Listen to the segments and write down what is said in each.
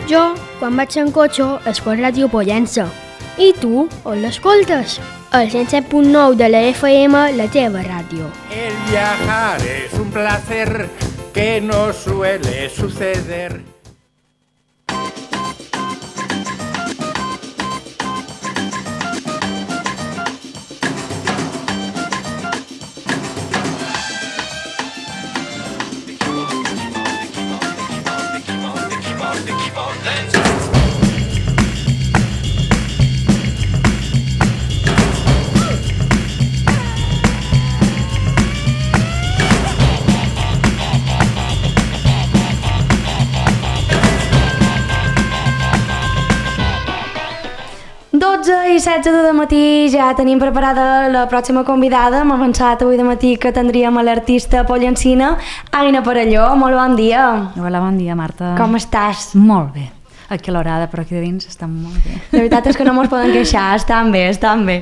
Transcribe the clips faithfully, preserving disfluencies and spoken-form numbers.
Jo, quan vaig en cotxe, escolto Ràdio Pollença. I tu, on l'escoltes? El cent set punt nou de la F M, la teva ràdio. El viajar es un placer que no suele suceder. dotze i setze de matí, ja tenim preparada la pròxima convidada. Hem avançat avui de matí que tindríem a l'artista pollencina Aina Parelló. Molt bon dia. Hola, bon dia, Marta. Com estàs? Molt bé. Aquí a l'horada, però aquí dins estan molt bé. La veritat és que no mos poden queixar, estan bé, estan bé.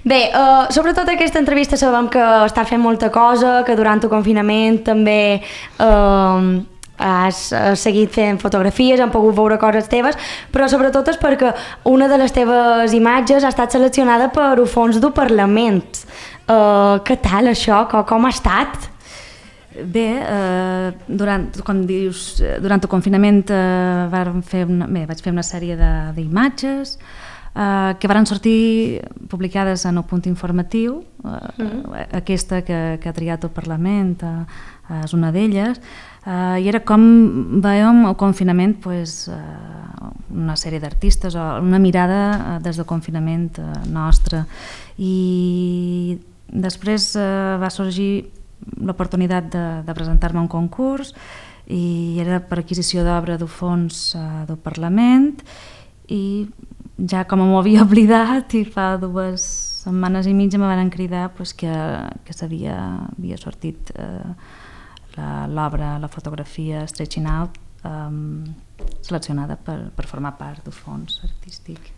Bé, uh, sobretot aquesta entrevista sabem que estàs fent molta cosa, que durant el confinament també uh, has seguit fent fotografies, han pogut veure coses teves, però sobretot és perquè una de les teves imatges ha estat seleccionada per un fons del Parlament. Uh, què tal això? Com, com ha estat? Bé, eh, durant, com dius, durant el confinament eh, vàrem fer una, bé, vaig fer una sèrie d'imatges eh, que varen sortir publicades en el punt informatiu. Eh, mm. Aquesta que, que ha triat el Parlament eh, és una d'elles. Uh, i era com veiem el confinament, pues, uh, una sèrie d'artistes, una mirada uh, des del confinament uh, nostre, i després uh, va sorgir l'oportunitat de, de presentar-me a un concurs, i era per adquisició d'obra del fons uh, del Parlament, i ja com m'ho havia oblidat, i fa dues setmanes i mitja me van cridar pues, que, que s'havia havia sortit uh, l'obra, la fotografia Stretching Out, um, seleccionada per, per formar part del fons artístic.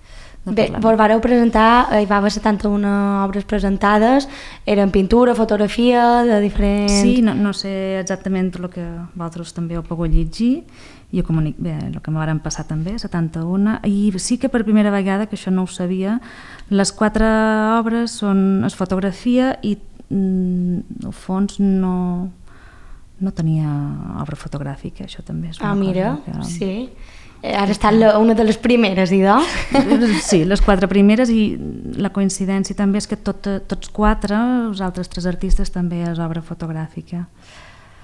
Bé, vos vareu presentar, hi va haver setanta-una obres presentades, eren pintura, fotografia, de diferents... Sí, no, no sé exactament el que vosaltres també heu pogut llegir, i jo comunic, bé, el que me varen passar també, setanta-una, i sí que per primera vegada, que això no ho sabia, les quatre obres són es fotografia i mm, el fons no... no tenia obra fotogràfica, això també és una ah, mira, cosa que... sí. Has estat la, una de les primeres, idò? Sí, les quatre primeres, i la coincidència també és que tot, tots quatre, els altres tres artistes, també és obra fotogràfica.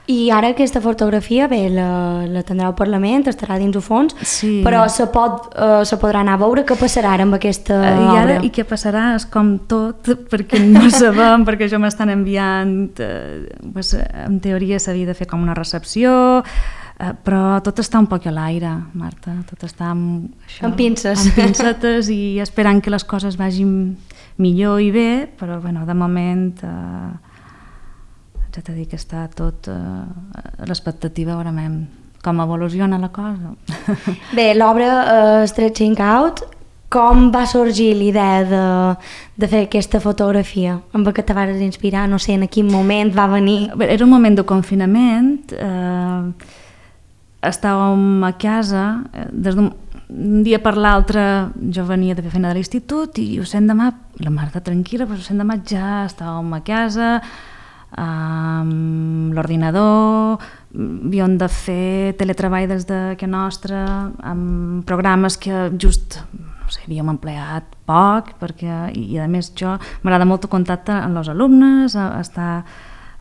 I ara aquesta fotografia, bé, la, la tindrà al Parlament, estarà dins el fons, sí. Però se, pot, uh, se podrà anar a veure què passarà amb aquesta uh, I obra. Ara, i què passarà és com tot, perquè no sabem, perquè això m'estan enviant, eh, pues, en teoria s'havia de fer com una recepció, eh, però tot està un poc a l'aire, Marta, tot està amb, això, amb pinces. Amb pincetes i esperant que les coses vagin millor i bé, però bueno, de moment... Eh, ja t'he dit que està tot eh, a l'expectativa, veurem com evoluciona la cosa. Bé, l'obra uh, Stretching Out, com va sorgir l'idea de, de fer aquesta fotografia? Amb què te vas inspirar? No sé, en quin moment va venir? Era un moment de confinament, eh, estàvem a casa, des d'un un dia per l'altre jo venia de fer feina de l'institut i ho sent demà, la Marta tranquil·la, però ho sent demà ja estàvem a casa, amb l'ordinador, havíem de fer teletreball des de casa nostra, amb programes que just no sé, havíem empleat poc, perquè, i, i a més jo m'agrada molt el contacte amb els alumnes, estar,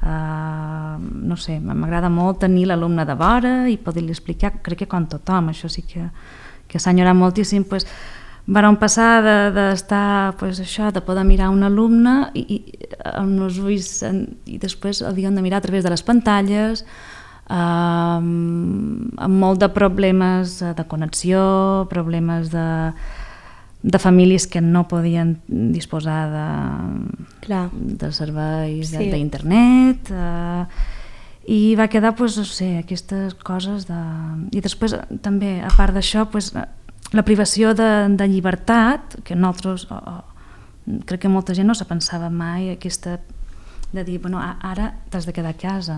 uh, no sé, m'agrada molt tenir l'alumne de vora i poder-li explicar, crec que com tothom, això sí que, que s'ha enyorat moltíssim, pues, vàrem passar d'estar, de, pues, això, de poder mirar un alumne i, i, amb els ulls, en, i després havíem de mirar a través de les pantalles, eh, amb molt de problemes de connexió, problemes de, de famílies que no podien disposar de, Clar. de serveis sí. d'internet, eh, i va quedar, pues, no sé, aquestes coses de... I després també, a part d'això, pues, la privació de, de llibertat, que nosaltres, oh, oh, crec que molta gent no se pensava mai, aquesta de dir, bueno, ara t'has de quedar a casa.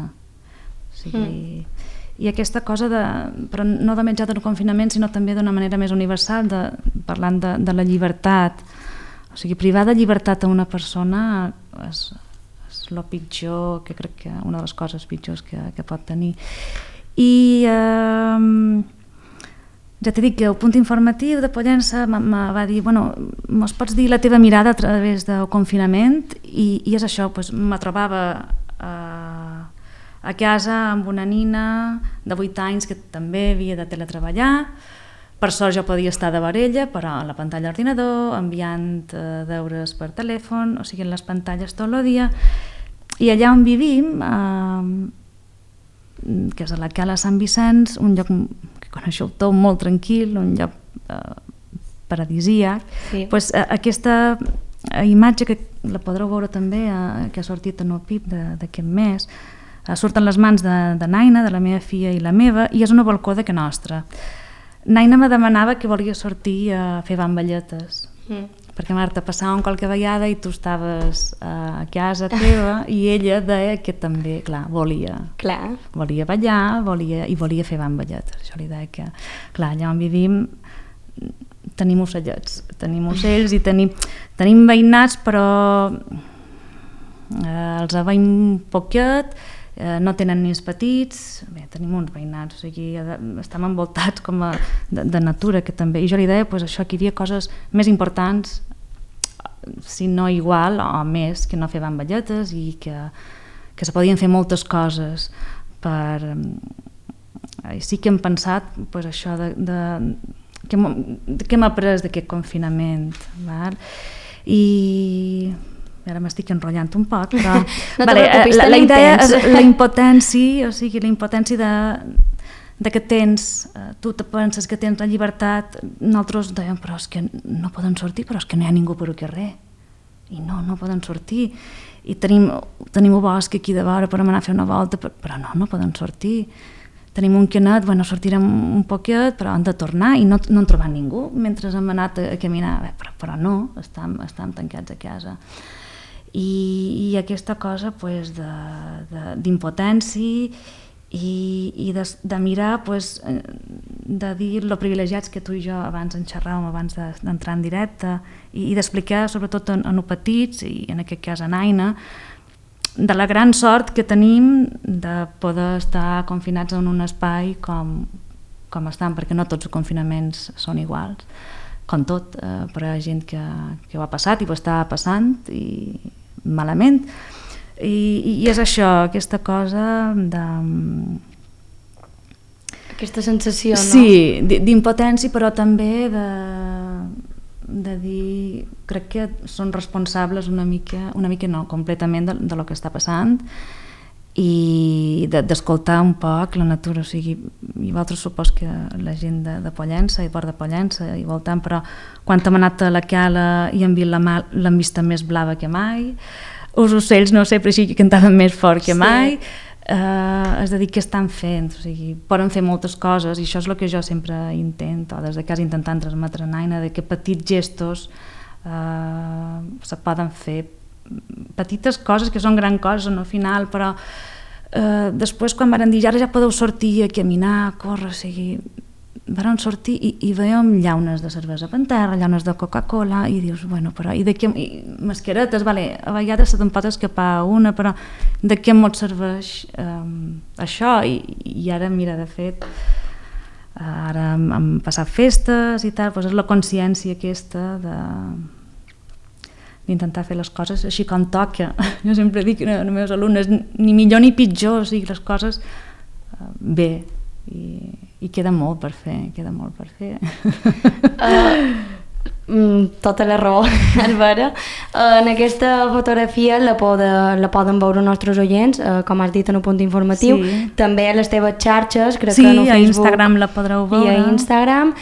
O sigui, mm. i aquesta cosa, de, però no de menjar del confinament, sinó també d'una manera més universal, de, parlant de, de la llibertat. O sigui, privar de llibertat a una persona és, és el pitjor, que crec que una de les coses pitjors que, que pot tenir. I eh, ja t'he dit que el punt informatiu de Pollença me va dir, bueno, mos pots dir la teva mirada a través del confinament, i, i és això, doncs, me trobava a, a casa amb una nina de vuit anys que també havia de teletreballar. Per sort jo podia estar de varella, però a la pantalla d'ordinador, enviant eh, deures per telèfon, o sigui, en les pantalles tot el dia. I allà on vivim, eh, que és a la Cala Sant Vicenç, un lloc que coneixeu tot, molt tranquil, un lloc eh, paradisíac, sí. Pues, eh, aquesta imatge que la podreu veure també, eh, que ha sortit en el P I B d'aquest mes, eh, surten les mans de, de Naina, de la meva filla i la meva, i és una balcó de que nostra. Naina me demanava que volia sortir a fer bamballetes, mm. perquè Marta, passàvem qualque vegada i tu estaves a casa teva i ella deia que també, clar, volia clar. volia ballar volia, i volia fer bamballetes. Jo li deia que, clar, allà on vivim tenim ocellets, tenim ocells i tenim, tenim veïnats, però eh, els aveim poquet, eh, no tenen nens petits, bé, tenim uns veïnats, o sigui, estem envoltats com a, de, de natura, que també, i jo li deia pues, això, que hi havia coses més importants, si no igual o més, que no fer bamballetes, i que, que se podien fer moltes coses per... I sí que hem pensat pues, això de, de, que hem après d'aquest confinament, val? I ara m'estic enrotllant un poc, però no vale, la, la idea és la impotència, o sigui, la impotència de, de que tens, tu te penses que tens la llibertat, nosaltres dèiem, però és que no poden sortir, però és que no hi ha ningú per al carrer, i no, no poden sortir, i tenim, tenim un bosc aquí de vora per anar a fer una volta, però no, no poden sortir. Tenim un canet, bueno, sortirem un poquet, però han de tornar i no, no han trobat ningú mentre hem anat a, a caminar, Bé, però, però no, estem, estem tancats a casa. I, i aquesta cosa pues, d'impotència i, i de, de mirar, pues, de dir lo privilegiats que tu i jo abans en xerràvem, abans d'entrar en directe, i, i d'explicar sobretot en, en petits, i en aquest cas en Aina, de la gran sort que tenim de poder estar confinats en un espai com, com estan, perquè no tots els confinaments són iguals, com tot, eh, però hi ha gent que, que ho ha passat i ho està passant i malament, i, i és això, aquesta cosa de... Aquesta sensació, no? Sí, d'impotència, però també de... de dir, crec que són responsables una mica, una mica no, completament de, de lo que està passant, i d'escoltar un poc la natura, o sigui, i vosaltres supos que la gent de, de Pollença i Port de Pollença i voltant, però quan hem anat a la Cala i hem vist la mà, l'hem vista més blava que mai, els ocells no sé, però així que cantaven més fort que mai, sí. Uh, és a dir, què estan fent, o sigui, poden fer moltes coses, i això és el que jo sempre intento, des de casa intentant transmetre a Naina, de que petits gestos uh, se poden fer, petites coses que són gran coses al final, però uh, després quan van dir ara ja podeu sortir a caminar, a córrer, o sigui, van sortir i, i veiem llaunes de cervesa per terra, llaunes de Coca-Cola, i dius, bueno, però i de què, i mascaretes, vale, a vegades se te'n pot escapar una, però de què mos serveix um, això? I, I ara, mira, de fet, ara hem, hem passat festes i tal, doncs és la consciència aquesta de d'intentar fer les coses així com toca. Jo sempre dic als meus alumnes, ni millor ni pitjor, o sigui, les coses uh, bé, i, i queda molt per fer, queda molt per fer. Uh, tota la raó, Albera. Uh, en aquesta fotografia la, poden, la poden veure els nostres oients, uh, com has dit en un punt informatiu, sí. També a les teves xarxes, crec sí, que no Facebook. Sí, a Instagram la podreu veure. I a Instagram.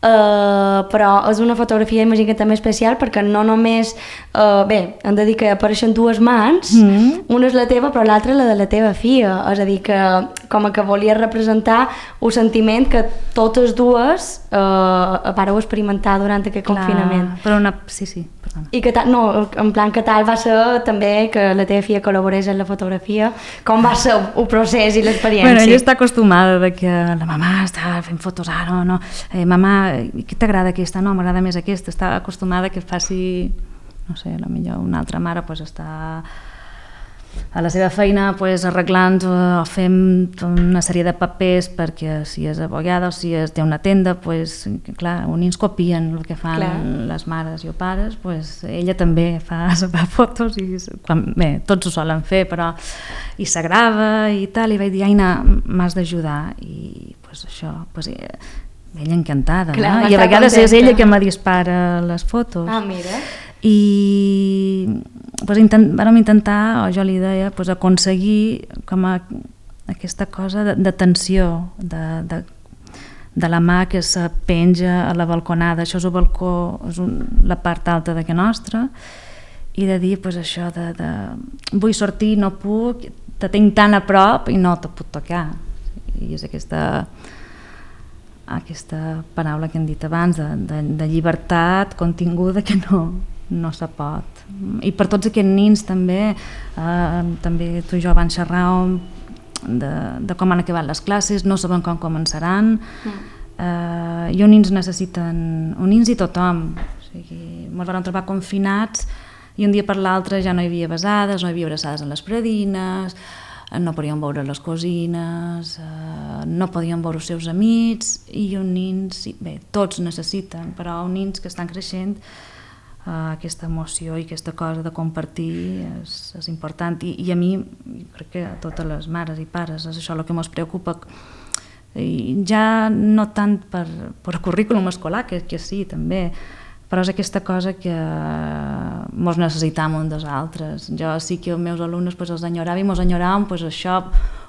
Uh, però és una fotografia, imagino que també especial, perquè no només uh, bé, hem de dir que apareixen dues mans, mm. una és la teva però l'altra la de la teva filla, és a dir que com que volia representar un sentiment que totes dues uh, vareu experimentar durant aquest Clar, confinament. Però una, sí, sí, per persona. I que tal, no, en plan que tal va ser també que la teva filla col·laborés en la fotografia, com va ser el procés i l'experiència? Bueno, ella està acostumada de que la mamà està fent fotos ara, no, eh, mamà, què t'agrada aquesta? No, m'agrada més aquesta. Està acostumada que faci, no sé, potser una altra mare pues, està a la seva feina pues, arreglant o fent una sèrie de papers perquè si és abogada o si és, té una tenda, pues, clar, uns nins copien el que fan clar. Les mares i els pares, pues, ella també fa, fa fotos i quan, bé, tots ho solen fer, però i s'agrava i tal, i vaig dir, Aina, m'has d'ajudar i pues, això, pues, ella encantada, clar, no? I a vegades contenta. És ella que me dispara les fotos. Ah, mira. I pues, intent, vam intentar, o jo li deia, pues, aconseguir com a, aquesta cosa de, de tensió, de, de, de la mà que se penja a la balconada, això és el balcó, és un, la part alta de casa nostra, i de dir pues, això de, de vull sortir, no puc, te tinc tan a prop i no te puc tocar. I és aquesta... aquesta paraula que hem dit abans de, de, de llibertat continguda que no, no se pot. I per tots aquests nins també, eh, també tu i jo vam xerrar de, de com han acabat les classes, no saben com començaran, mm. eh, i uns nins necessiten, uns nins i tothom, o sigui, ens vam trobar confinats i un dia per l'altre ja no hi havia besades, no hi havia abraçades en les predines, no podien veure les cosines, eh, no podien veure els seus amics, i uns nins, bé, tots necessiten, però uns nins que estan creixent, eh, aquesta emoció i aquesta cosa de compartir és, és important, I, i a mi, crec que a totes les mares i pares, és això el que ens preocupa, i ja no tant per, per currículum escolar, que, que sí, també, però és aquesta cosa que mos necessitam un dels altres. Jo sí que els meus alumnes pues, els enyorava i mos enyoràvem pues, això,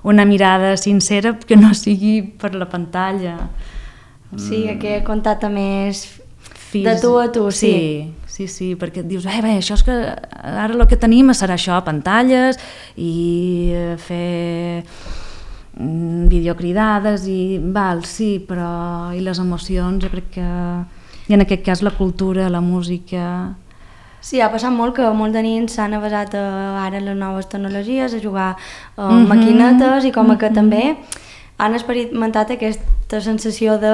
una mirada sincera que no sigui per la pantalla. Sí, aquest contacte més Fis... de tu a tu, sí. Sí, sí, sí, perquè dius, eh, bé, això és que ara el que tenim serà això, pantalles i fer videocridades i val, sí, però i les emocions, jo crec que i en aquest cas la cultura, la música... Sí, ha passat molt que molts de nins s'han avasat a, ara les noves tecnologies, a jugar a mm-hmm. maquinetes i com mm-hmm. que també han experimentat aquesta sensació de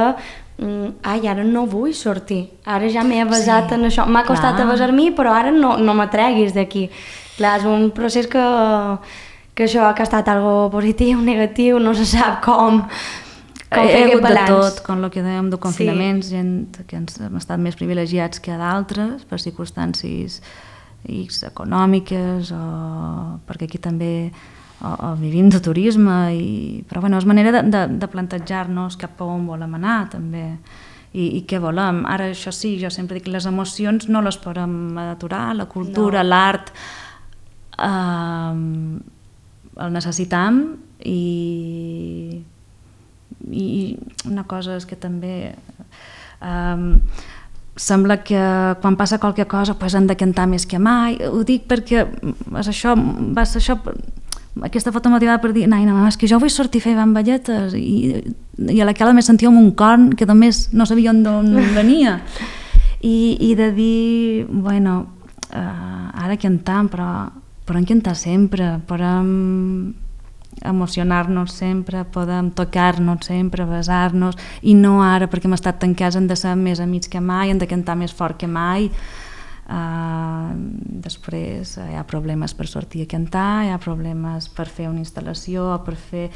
mm, ai, ara no vull sortir, ara ja m'he avasat sí, en això, m'ha costat avasar-m'hi però ara no, no m'atreguis d'aquí. Clar, és un procés que, que això que ha estat algo positiu, negatiu, no se sap com... Com he hagut de tot, com el que dèiem de confinaments, sí. Gent que ens hem estat més privilegiats que d'altres per circumstàncies X econòmiques o perquè aquí també o, o vivim de turisme i, però bueno, és manera de, de, de plantejar-nos cap a on volem anar també i, i què volem. Ara això sí, jo sempre dic que les emocions no les podem aturar, la cultura, no. L'art eh, el necessitam i i una cosa és que també um, sembla que quan passa qualque cosa pues, han de cantar més que mai, ho dic perquè és això, va ser això, aquesta foto motivada per dir, Naina, mama, és que jo vull sortir a fer bamballetes i, i a la que me sentia un corn que només no sabia d'on venia I, i de dir, bueno, uh, ara cantam, però podem cantar sempre, podem emocionar-nos sempre, podem tocar-nos sempre, besar-nos i no ara perquè hem estat tancats hem de ser més amics que mai, hem de cantar més fort que mai. Uh, després hi ha problemes per sortir a cantar, hi ha problemes per fer una instal·lació o per fer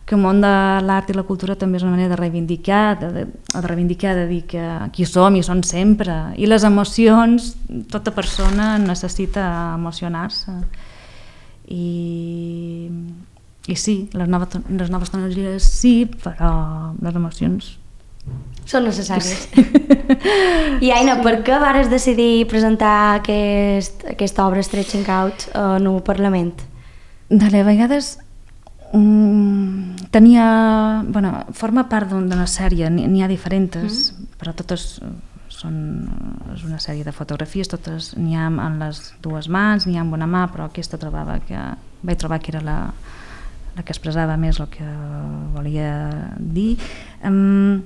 que el món de l'art i la cultura també és una manera de reivindicar, de, de, de reivindicar, de dir que qui som i són sempre, i les emocions, tota persona necessita emocionar-se i I sí, les noves, les noves tecnologies sí, però les emocions són necessàries. Sí. I Aina, per què vares decidir presentar aquest, aquesta obra Stretching Out en un Parlament? Dale, a vegades um, tenia... Bueno, forma part d'una sèrie, n'hi ha diferents, mm. però totes són és una sèrie de fotografies, totes n'hi ha en les dues mans, n'hi ha en una mà, però aquesta trobava que vaig trobar que era la la que expressava més el que volia dir. Um...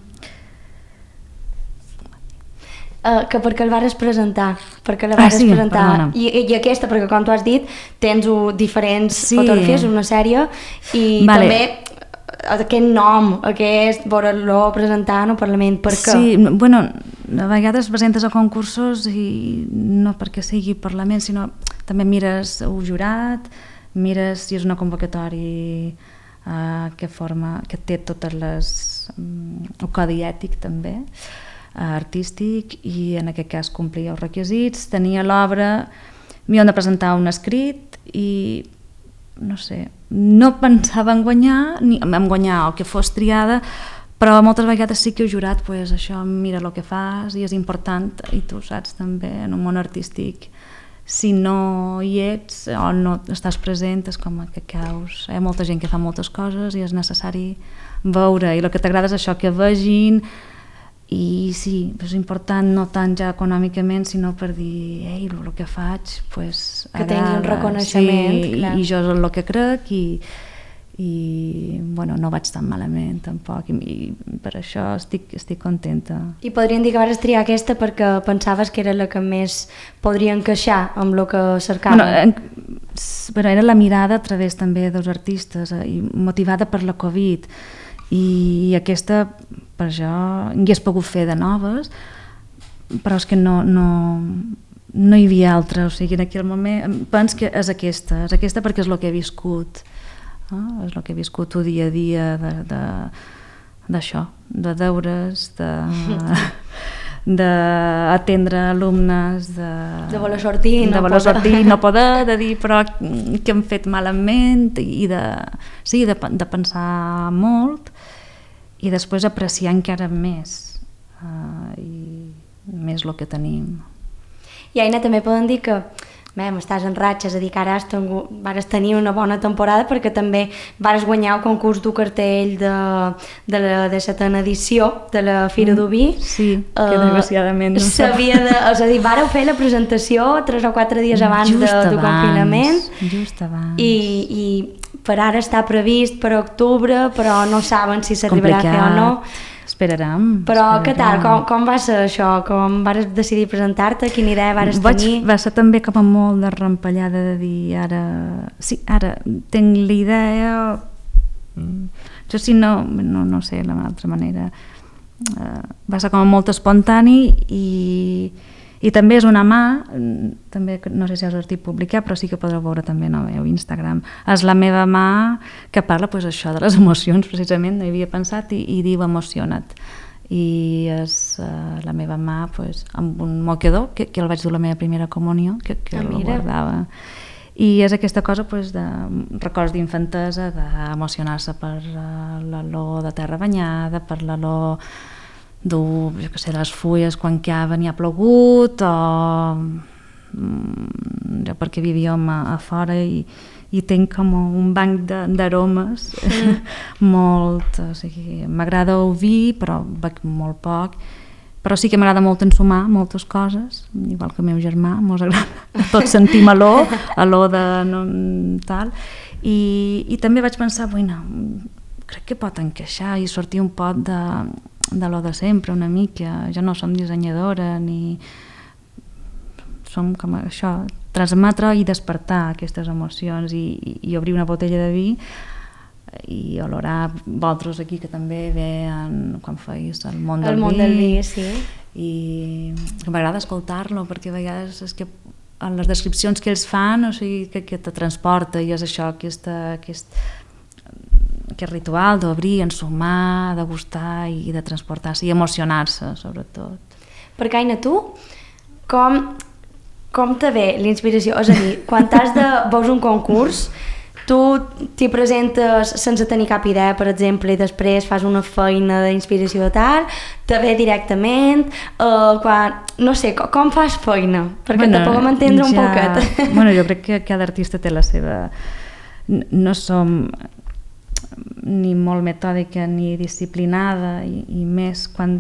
Uh, que perquè el vares presentar, perquè la Ah, vares sí, presentar. perdona. I, I aquesta, perquè com tu has dit, tens uh, diferents Sí. fotografies, una sèrie, i Vale. també uh, aquest nom, aquest veure-lo presentant al Parlament, per què? Sí, no, bueno, a vegades presentes a concursos i no perquè sigui Parlament, sinó també mires el jurat, mires si és una convocatòria uh, que forma, que té totes les... Um, el codi ètic també, uh, artístic, i en aquest cas complia els requisits, tenia l'obra, m'hi han de presentar un escrit i no sé, no pensava en guanyar, ni en guanyar o que fos triada, però moltes vegades sí que he jurat, pues, això, mira el que fas i és important, i tu saps també en un món artístic, si no hi ets o no estàs present és com que caus, hi ha molta gent que fa moltes coses i és necessari veure, i el que t'agrada és això, que vegin. I sí, és important no tant ja econòmicament, sinó per dir, ei, el que faig, pues, Que tingui un reconeixement, sí, clar. i, i jo és el que crec, i, i bueno, no vaig tan malament tampoc, i, i per això estic, estic contenta. I podríem dir que vares triar aquesta perquè pensaves que era la que més podria encaixar amb el que cercava. Bueno, en, però era la mirada a través també dels artistes, eh, i motivada per la Covid, i, i aquesta per això hi hagués pogut fer de noves, però és que no, no, no hi havia altra, o sigui, en aquell moment penso que és aquesta, és aquesta perquè és el que he viscut, eh? És el que he viscut el dia a dia de, de, d'això, de deures, de, d'atendre alumnes, de, De voler sortir i de no voler poder. sortir i no poder, de dir però que hem fet malament, i de, sí, de, de pensar molt, i després apreciar encara més, uh, i més el que tenim. I Aina, també poden dir que Mem, estàs en ratxa, és a dir, que ara has tingut, vares tenir una bona temporada perquè també vares guanyar el concurs du cartell de, de la setena edició de la Fira d'Oví. Sí, que uh, desgraciadament no s'havia de, és a dir, vareu fer la presentació tres o quatre dies abans just de, abans, del confinament. Just abans. I, i per ara està previst per octubre, però no saben si s'arribarà a fer o no. Esperarem. Però esperarem. què tal? Com, com va ser això? Com vas decidir presentar-te? Quina idea vas Vaig, tenir? va ser també com a molt de rampellada de dir ara... Sí, ara tinc l'idea... Jo si no, no, no sé la altra manera. Uh, va ser com a molt espontani i... I també és una mà, també no sé si has sortit publicar, però sí que podreu veure també no, a Instagram. És la meva mà que parla pues, això de les emocions, precisament, no hi havia pensat, i, i diu emociona't. I és uh, la meva mà pues, amb un moquedor, que, que el vaig dur la meva primera comunió, que, que ah, el guardava. I és aquesta cosa pues, de records d'infantesa, d'emocionar-se per uh, l'olor de terra banyada, per l'olor dur, jo què sé, les fulles quan cava n'hi ha plogut, o mm, jo perquè vivíem a, a fora i, i tinc com un banc d'aromes mm. molt, o sigui, m'agrada el vi però bec molt poc, però sí que m'agrada molt ensumar moltes coses, igual que el meu germà, mos agrada tot sentim olor, olor de no, tal, i, i també vaig pensar, bueno, crec que pot encaixar i sortir un pot de de lo de sempre una mica, jo no som dissenyadora ni som com això, transmetre i despertar aquestes emocions i, i, i obrir una botella de vi i olorar vosaltres aquí que també veien quan feis el món del el món vi, del vi sí. I m'agrada escoltar-lo perquè a vegades és que en les descripcions que ells fan, o sigui, que, que te transporta i és això, aquesta, aquest aquest ritual d'obrir, ensumar, de gustar i de transportar-se i emocionar-se, sobretot. Perquè, Aina, tu, com, com te ve l'inspiració? És a dir, quan t'has de veus un concurs, tu t'hi presentes sense tenir cap idea, per exemple, i després fas una feina d'inspiració tal, te ve directament, uh, quan, no sé, com, com fas feina? Perquè bueno, te puguem entendre ja, un poquet. Bueno, jo crec que cada artista té la seva... No som ni molt metòdica ni disciplinada i, i més quan,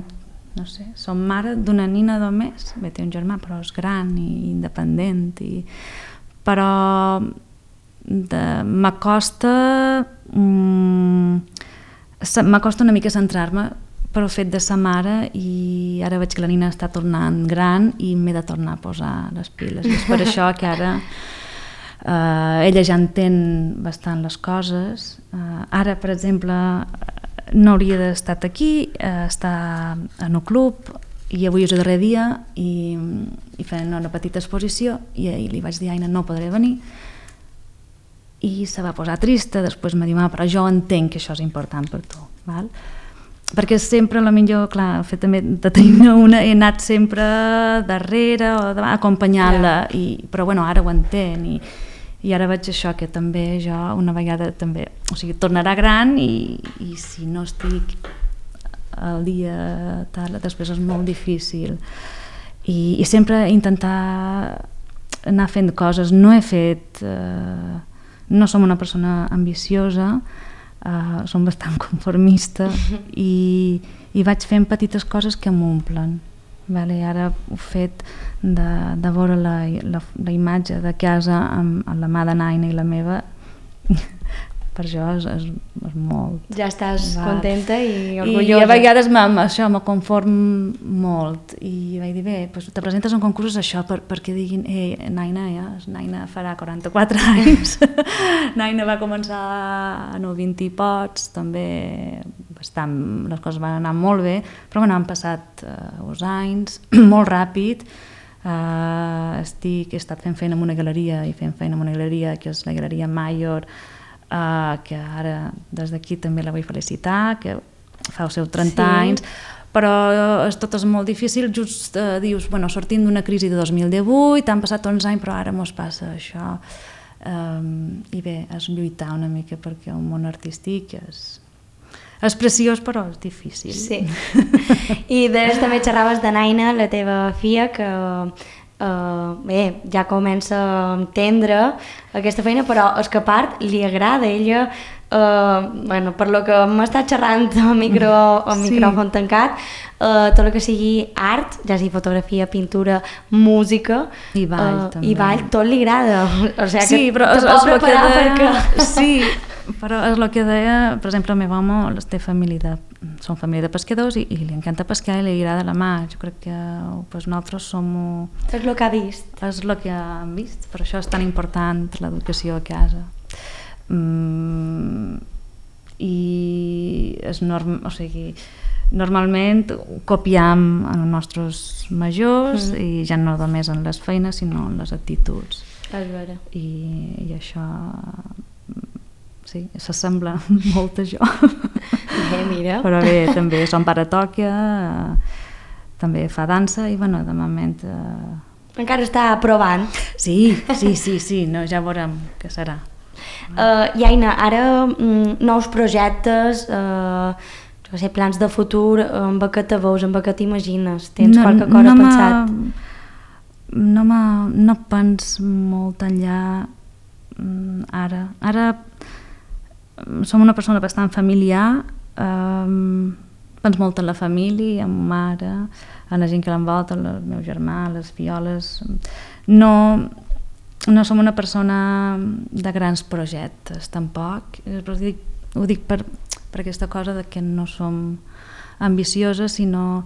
no sé, som mare d'una nina només, bé, té un germà però és gran i independent i... però m'acosta mm, m'acosta una mica centrar-me però el fet de sa mare, i ara veig que la Nina està tornant gran i m'he de tornar a posar les piles. I és per això que ara eh, ella ja entén bastant les coses. Eh, ara, per exemple, no hauria d'haver estat aquí, eh, està en un club, i avui és el darrer dia i, i fent una petita exposició i ahir li vaig dir a Aina no podré venir i se va posar trista, després m'ha dit però jo entenc que això és important per tu, val? Perquè sempre, la millor, clar, el fet també de tenir una, he anat sempre darrere o acompanyant-la, i, però bueno, ara ho entén i, i ara veig això, que també jo una vegada també, o sigui, tornarà gran i, i si no estic el dia tal, després és molt difícil i, i sempre intentar anar fent coses. No he fet eh, no som una persona ambiciosa, eh, som bastant conformista i, i vaig fent petites coses que m'omplen, vale? Ara ho he fet de, de veure la, la, la imatge de casa amb, amb la mà de Naina i la meva per això és, és, és molt... Ja estàs va. contenta i orgullosa. I a vegades això me conform molt i vaig dir, bé, doncs te presentes en concursos això per, perquè diguin, eh, Naina, ja, Naina farà quaranta-quatre anys, Naina va començar en el vint i pocs, també bastant, les coses van anar molt bé, però bueno, han passat uh, uns anys, molt ràpid, uh, estic, he estat fent feina en una galeria i fent feina en una galeria que és la Galeria Mayor, Uh, que ara des d'aquí també la vull felicitar, que fa els seus trenta sí. anys, però és, tot és molt difícil, just uh, dius, bueno, sortim d'una crisi de dos mil divuit, han passat onze anys, però ara mos passa això, um, i bé, és lluitar una mica perquè el món artístic és, és preciós però és difícil. Sí. I des també xerraves de Naina, la teva filla, que Uh, bé, ja comença a entendre aquesta feina, però és que a part li agrada a ella, uh, bueno, per lo que m'ha estat xerrant al micro, sí. micròfon tancat, uh, tot el que sigui art, ja sigui fotografia, pintura, música i ball, uh, també. I ball, tot li agrada, o sigui sí, que però te pot preparar de... perquè... Sí, però és el que deia, per exemple, el meu home té família de, són família de pescadors i, i li encanta pescar i li agrada la mar. Jo crec que pues, nosaltres som... És el que ha vist. És el que hem vist, per això és tan important l'educació a casa. Mm, I és norm, o sigui, normalment copiam en els nostres majors mm. i ja no només en les feines sinó en les actituds. És vera. I, i això... Sí, s'assembla molt a jo. Bé, mira. Però bé, també son pare toca, eh, també fa dansa i bueno, de moment... Eh... Encara està provant. Sí, sí, sí, sí, no, ja veurem què serà. Uh, I Aina, ara mm, nous projectes, uh, no sé, plans de futur, amb què te veus, amb què t'imagines? Tens no, qualque cosa no pensat? No, no pens molt enllà ara. Ara som una persona bastant familiar, um, pens molt en la família, en ma mare, en la gent que l'envolta, el meu germà, les fioles. No, no som una persona de grans projectes, tampoc. Però ho dic, ho dic per, per aquesta cosa de que no som ambicioses, sinó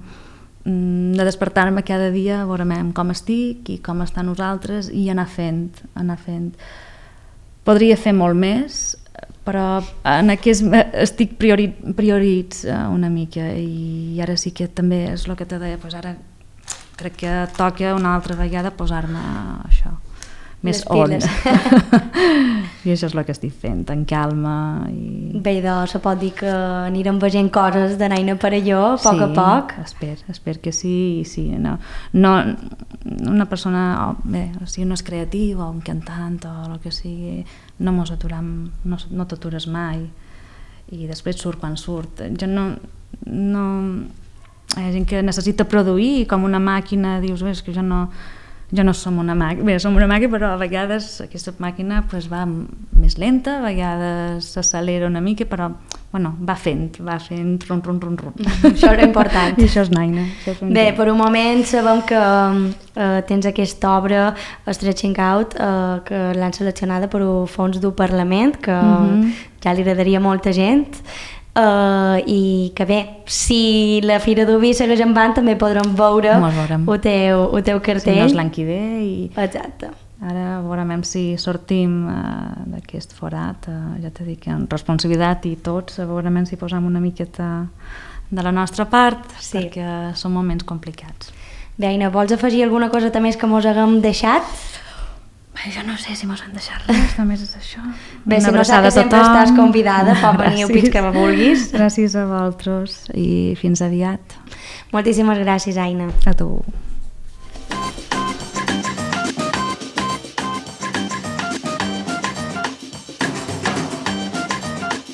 de despertar-me cada dia a veure com estic i com està nosaltres i anar fent, anar fent. Podria fer molt més, però en aquest estic priori, prioritz una mica i ara sí que també és el que te deia, doncs ara crec que toca una altra vegada posar-me això, més on. I això és el que estic fent, en calma. I... Bé, doncs se pot dir que anirem veient coses de Naina Perelló a poc sí, a poc. Sí, espero, espero que sí, sí. No, no, una persona, oh, bé, o sigui, no és creatiu o un cantant o el que sigui, no mos aturam, no, no t'atures mai i després surt quan surt. Jo no, no... Hi ha gent que necessita produir com una màquina, dius, bé, és que jo no... Jo no som una màquina, bé, som una màquina, però a vegades aquesta màquina pues, va més lenta, a vegades s'accelera una mica, però bueno, va fent, va fent rum, rum, rum, rum. Això era important. I això és Naina. Això és bé, per un moment sabem que uh, tens aquesta obra, Stretching Out, uh, que l'han seleccionada per un fons del Parlament, que uh-huh. ja li agradaria a molta gent. Uh, i que bé, si la Fira d'Ubi segueix endavant també podrem veure Mos veurem. el teu, el teu cartell. Si no és l'any que ve i Exacte. ara veurem si sortim uh, d'aquest forat, uh, ja t'he dit que amb responsabilitat i tots, veurem si posem una miqueta de la nostra part, Sí. perquè són moments complicats. Bé, Aina, vols afegir alguna cosa més que mos haguem deixat? Bé, jo no sé si mos han deixat res, només és això. Bé, si Una no abraçada saps, a sempre tothom. estàs convidada, pot venir el Gràcies. pit que vulguis. Gràcies a vosaltres i fins aviat. Moltíssimes gràcies, Aina. A tu.